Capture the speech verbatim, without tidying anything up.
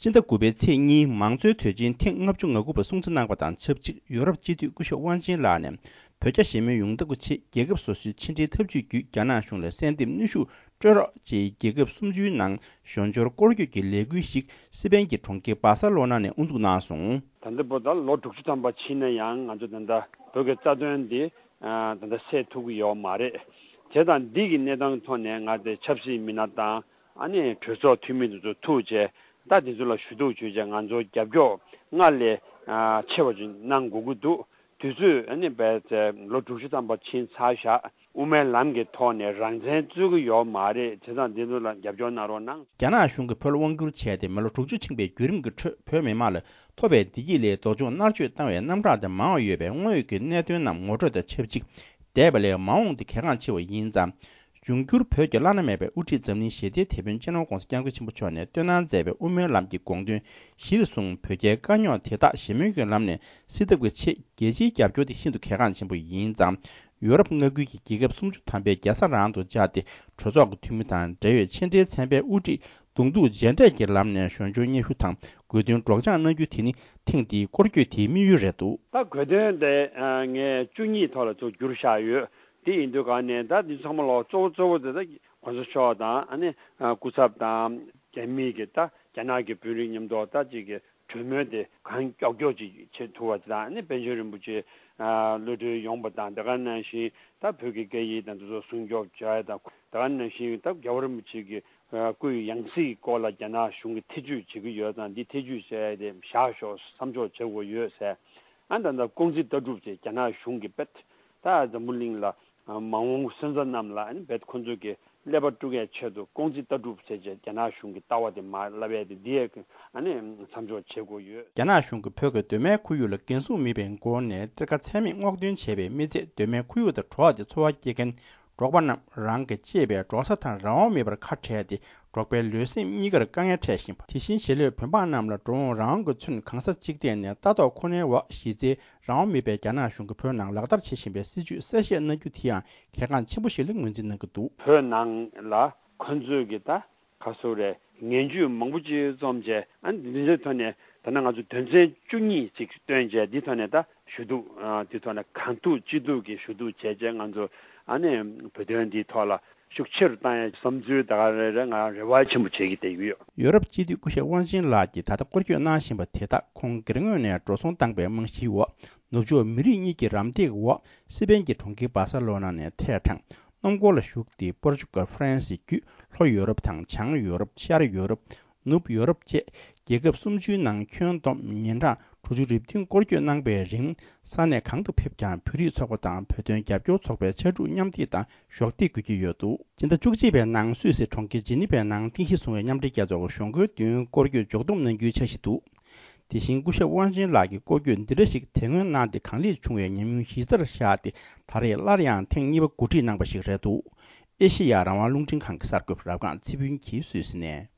སྤྱི་ཟླ་དགུ་པའི་ཚེས་གཉིས་མང་གཙོའི་དུས་ཆེན་ཐེངས་ལྔ་བཅུ་ང་དགུ་པ་སྲུང་བརྩི་གནང་བ་དང་ཆབས་ཅིག་ཡོ་རོབ་སྤྱི་འཐུས་སྐུ་ཞབས་དབང་ཆེན་ལགས་ནས་བོད་རྒྱ་ཞི་མོལ་ཡོང་ཐབས་ཀྱི་ཆེད་རྒྱལ་ཁབ་སོ་སོའི་ཕྱི་འབྲེལ་ཐབས་ཇུས་བརྒྱུད་རྒྱ་ནག་གཞུང་ལ་གསལ་འདེབས་གནོན་ཤུགས་སྤྲོད་རོགས་ཅེས་རྒྱལ་ཁབ་སུམ་ཅུའི་ནང་ཞོ་སྦྱོར་སྐོར་སྐྱོད་ཀྱི་ལས་འགུལ་ཞིག་སི་པན་གྱི་གྲོང་ཁྱེར་སྦ་ས་ལོ་ན་ནས་དབུ་འཛུགས་གནང་སོང་། ད་ལྟ་བར་དུ་ལོ་དྲུག་ཅུ་ཐམ་པ་ཕྱིན་ན་ཡང་ང་ཚོ་ད་ལྟ་བོད་ཀྱི་རྩ་དོན་འདི་ད་ལྟ་སེལ་ཐུབ་ཀྱི་ཡོད་མ་རེད། བྱས་ཙང་འདི་གི་གནས་སྟངས་ཐོག་ནས་ང་ཚོའི་ཆབ་སྲིད་མི་སྣ་དང་ཨ་ནི་གྲོས་ཚོགས་འཐུས་མི་དེ་ཚོ་ཐུག་བྱས་ད་དེ་ཚོ་ལ་ཞུ་གཏུག་བྱས་བྱས་ང་ཚོ་རྒྱབ་སྐྱོར་སྔར་ལས་ཆེ་བ་ཅིག་གནང་དགོས་ཀྱི་འདུག་དུས་ཚོད་ཨ་ནི་བས་ལོ་དྲུག་ཅུ་ཐམ་པ་ཕྱིན་ཚར་བཞག་དབུ་མའི་ལམ་གྱི་ཐོག་ནས་རང་བཙན་རྩོད་ཀྱི་ཡོད་མ་རེད། བྱས་ཙང་འདི་ཚོ་ལ་རྒྱབ་སྐྱོར་གནང་རོགས་གནང་། རྒྱ་ནག་གཞུང་གིས་བོད་ལ་དབང་བསྒྱུར་བྱས་ཏེ་མི་ལོ་དྲུག་ཅུ་ཕྱིན་པའི་བརྒྱུད་རིམ་གྱི་ཁྲོད་བོད་མི་མང་ལ་ཐོབ་པའི་བདེ་སྐྱིད་ལས་སྡུག་སྦྱོང་མནར་གཅོད་བཏང་བའི་རྣམ་གྲངས་དེ་མང་བ་ཡོད་པའི་དངོས་ཡོད་ཀྱི་གནད་དོན་རྣམས་ངོ་སྤྲོད་དང་ཆབས་ཅིག་འདས་པ་ལས་མ་འོངས་དེ་གལ་འགངས་ཆེ་བ་ཡིན་ཙང་། འབྱུང་འགྱུར་བོད་ཀྱི་བླ་ན་མེད་པའི་དབུ་ཁྲིད་འཛམ་གླིང་ཞི་བདེའི་དེད་དཔོན་སྤྱི་ནོར་༧གོང་ས་༧སྐྱབས་མགོན་ཆེན་པོ་མཆོག་ནས་བཏོན་གནང་མཛད་པའི་དབུ་མའི་ལམ་གྱི་དགོངས་དོན་གཞིར་བཟུང་བོད་རྒྱའི་དཀའ་རྙོག་དེ་དག་ཞི་མོལ་གྱི་ལམ་ནས་སེལ་ཐབས་ཀྱི་ཆེད་རྒྱལ་སྤྱིའི་རྒྱབ་སྐྱོར་དེ་ཤིན་ཏུ་གལ་འགངས་ཆེན་པོ་ཡིན་ཙང་། ཡོ་རོབ་མངའ་ཁུལ་གྱི་རྒྱལ་ཁབ་སུམ་ཅུ་ཐམ་པས་རྒྱལ་ས་རང་དུ་བཅར་ཏེ་གྲོས་ཚོགས་ཀྱི་འཐུས་མི་དང་འབྲེལ་ཡོད་ཕྱི་འབྲེལ་ཚན་པའི་དབུ་ཁྲིད་གདོང་ཐུག་མཇལ་འཕྲད་ཀྱི་ལམ་ནས་ཞོ་སྦྱོར་སྙན་ཞུ་དང་དགོས་འདུན་སྒྲོག་སྦྱང་གནང་རྒྱུ་དེ་ནི་ཐེངས་འདིའི་སྐོར་སྐྱོད་དེའི་དམིགས་ཡུལ་རེད་འདུག་ད་དགོས་འདུན་དེ་ངས་བཅུ་གཉིས་ཐོག་ལ་ཚུར་བསྒྱུར་བཞག་ཡོད། དེ་ཡིན་དུས་ག་ནས་ད་འདི་ཚང་མ་ལོག་གཙོ་བོ་གཙོ་བོ་དེ་ད་གོང་ས་མཆོག་དང་ཨ་ནི་སྐུ་ཚབ་དང་རྒྱ་མི་གི་ད་རྒྱ་ནག་གི་དཔོན་རིགས་མཉམ་དུ་ད་ཅིག་གི་གྲོས་མོལ་དེ་གང་མགྱོགས་མགྱོགས་ཅིག་བྱེད་ཐུབ་པ་ཅིག་དང་ཨ་ནི་པཎ་ཆེན་རིན་པོ་ཆེ་གློད་གྲོལ་ཡོང་པ་དང་དེ་ག་ནང་བཞིན་ད་བོད་ཀྱི་སྐད་ཡིག་དང་དེ་ཚོ་སྲུང་སྐྱོབ་བྱ་ཡ་དང་དེ་ག་ནང་བཞིན་ད་རྒྱལ་བ་རིན་པོ་ཆེ་གི་སྐུའི་ཡང་སྲིད་སྐོར་ལ་རྒྱ་ནག་གཞུང་གིས་ཐེ་བྱུས་བྱེད་ཀྱི་ཡོད་ཙང་འདི་ཐེ་བྱུས་བྱས་ཏེ་བཞག་ཤོག་བསམ་ཕྱོགས་བྱེད་དགོས་ཡོད་ཟེར། ཨ་ད་ལྟ་ཀོང་ཙི་ལྟ་གྲུབ་ཅེས་རྒྱ་ནག་གཞུང་གིས་རྦད་ད་འཛམ་བུ་གླིང་ལ་མ་འོངས་སོན་རྩ་རྣམས་ལ་ཨ་ནི་རྦད་ཁོང་ཚོ་གི་ཀླད་པ་དཀྲུག་ཡས་ཆེད་དུ་ཀོང་ཙི་ལྟ་གྲུབ་ཟེར་བྱས་རྒྱ་ནག་གཞུང་གི་ལྟ་བ་དེ་མ་བསླབ་ཡས་དེ་འདི་ཡས་ཨ་ནི་མཚམས་འཇོག་བྱེད་དགོས་ཡོད། རྒྱ་ནག་གཞུང་གིས་བོད་ཀྱི་གདོད་མའི་ཁོར་ཡུག་ལ་འགན་སྲུང་མེད་པའི་སྒོ་ནས་གཏེར་ཁ་ཚད་མེད་སྔོག་འདོན་བྱས་པའི་མི་ཚད་གདོད་མའི་ཁོར་ཡུག་དང་བྲོ་བ་དེ་འཚོ་བ་སྐྱེལ་མཁན་འབྲོག་པ་རྣམས་རང་གིས་གཅེས་པའི་འབྲོག་ས་དང་རང་དབང་མེད་པར་ཁ་བྲལ་ཏེ་འབྲོག་པའི་ལུས་སེམས་གཉིས་ཀར་དཀའ་ངལ་འཕྲད་བཞིན་པ། དེ་བཞིན་གཞིས་ལུས་བོད་འབངས་རྣམས་ལ་འགྲོ་འོང་རང་དབང་གི་ཚུན་གང་ས་གཅིག་ཐད་ནས་ལྟ་རྟོག་ཁོ་ནའི་འོག་གཞི་རྩའི་རང་དབང་མེད་པའི་རྒྱ་ནག་གཞུང་གིས་བོད་ནང་ལག་བསྟར་བྱེད་བཞིན་པའི་སྲིད་བྱུས་གསལ་བཤད་གནང་རྒྱུ་དེ་ཡང་གལ་འགངས་ཆེན་པོ་ཞིག་ལ་ངོས་འཛིན་གནང་གི་འདུག་བོད་ནང་ལ་ཁོ་ཚོས་ཀྱི་ད་ག་སོ་རེད་ངན་ཇུས་མང་པོ་ཅིག་རྩོམ་བྱས་ཨ་ནི་འདི་འདྲའི་ཐོག་ནས་ད་ནང་ང་ཚོ་དོན་ཚན་བཅུ་གཉིས་ཅིག་བཏོན་བྱས་འདི་ཐོག་ནས་ད་ཞུ་གཏུག་འདི་ཐོག་ནས་གང་ཐུབ་ཅི་ཐུབ་ཀྱི་ཞུ་གཏུག་བྱས་བྱས་ང་ཚོ་ཨ་ནི་བོད་དོན་འདིའི་ཐོག་ལ་ཤུགས་ཆེ་རུ་བཏང་ཡ་བསམ་ཚུལ་ད་ག་རེ་རེ་ང་རེ་བ་ཆེན་པོ་བྱེད་ཀྱི་བསྡད་ཡོད། ཡོ་རོབ་སྤྱི་འཐུས་སྐུ་ཞབས་དབང་ཆེན་ལགས་ཀྱིས་ད་ལྟ་སྐོར་སྐྱོད་གནང་བཞིན་པ་དེ་དག་ཁོང་སྒེར་ངོས་ནས་འགྲོ་སོང་བཏང་པའི་རྨང་གཞིའི་འོག་ནུབ་ཕྱོགས་མི་རིགས་གཉིས་ཀྱི་རམ་འདེགས་འོག་སི་པན་གྱི་གྲོང་ཁྱེར་སྦ་ས་ལོ་ན་ནས་ཐད་དྲངས་སྣུམ་འཁོར་ལ་ཞུགས་ཏེ་པོར་ཅུ་གལ་ཧྥ་རན་སི་བརྒྱུད་ལྷོ་ཡོ་རོབ་དང་བྱང་ཡོ་རོབ་ཤར་ཡོ་རོབ་ནུབ་ཡོ་རོབ་བཅས་རྒྱལ་ཁབ་སུམ་ཅུའི་ནང་ཁྱོན་བསྡོམས་ཉིན་གྲངས་དྲུག་ཅུ་རེ་བདུན་སྐོར་སྐྱོད་གནང་པའི་རིང་ས་གནས་གང་དུ་ཕེབས་ཀྱང་བོད་རིགས་ཚོགས་པ་དང་བོད་དོན་རྒྱབ་སྐྱོར་ཚོགས་པའི་ཕྱར་གྲུ་མཉམ་འདེགས་དང་གཞོགས་འདེགས་དགོས་ཀྱི་ཡོད་འདུག་སྤྱི་ཟླ་བཅུ་གཅིག་པའི་ནང་སུད་སི་གྲོང་ཁྱེར་ཇི་ནི་ཝའི་ནང་རྟེན་གཞི་བཟུང་བའི་མཉམ་འབྲེལ་རྒྱལ་ཚོགས་ཀྱི་གཞུང་སྒོའི་མདུན་སྐོར་སྐྱོད་མཇུག་བསྡོམས་གནང་རྒྱུའི་འཆར་གཞི་འདུག་དེ་བཞིན་སྐུ་ཞབས་དབང་ཆེན་ལགས་ཀྱི་སྐོར་སྐྱོད་འདི་འདྲ་ཞིག་དེ་སྔོན་གནང་སྟེ་གང་ལེགས་བྱུང་བའི་ཉམས་མྱོང་གཞི་རྩར་བཞག་སྟེ་ད་རེས་སླར་ཡང་ཐེངས་གཉིས་པ་གོ་སྒྲིག་གནང་པ་ཞིག་རེད་འདུག་ཨེ་ཤེ་ཡ་རང་དབང་རླུང་འཕྲིན་ཁང་གི་གསར་འགོད་པ་རབ་སྒང་ཚེ་ཕུན་གྱིས་སུད་སི་ནས།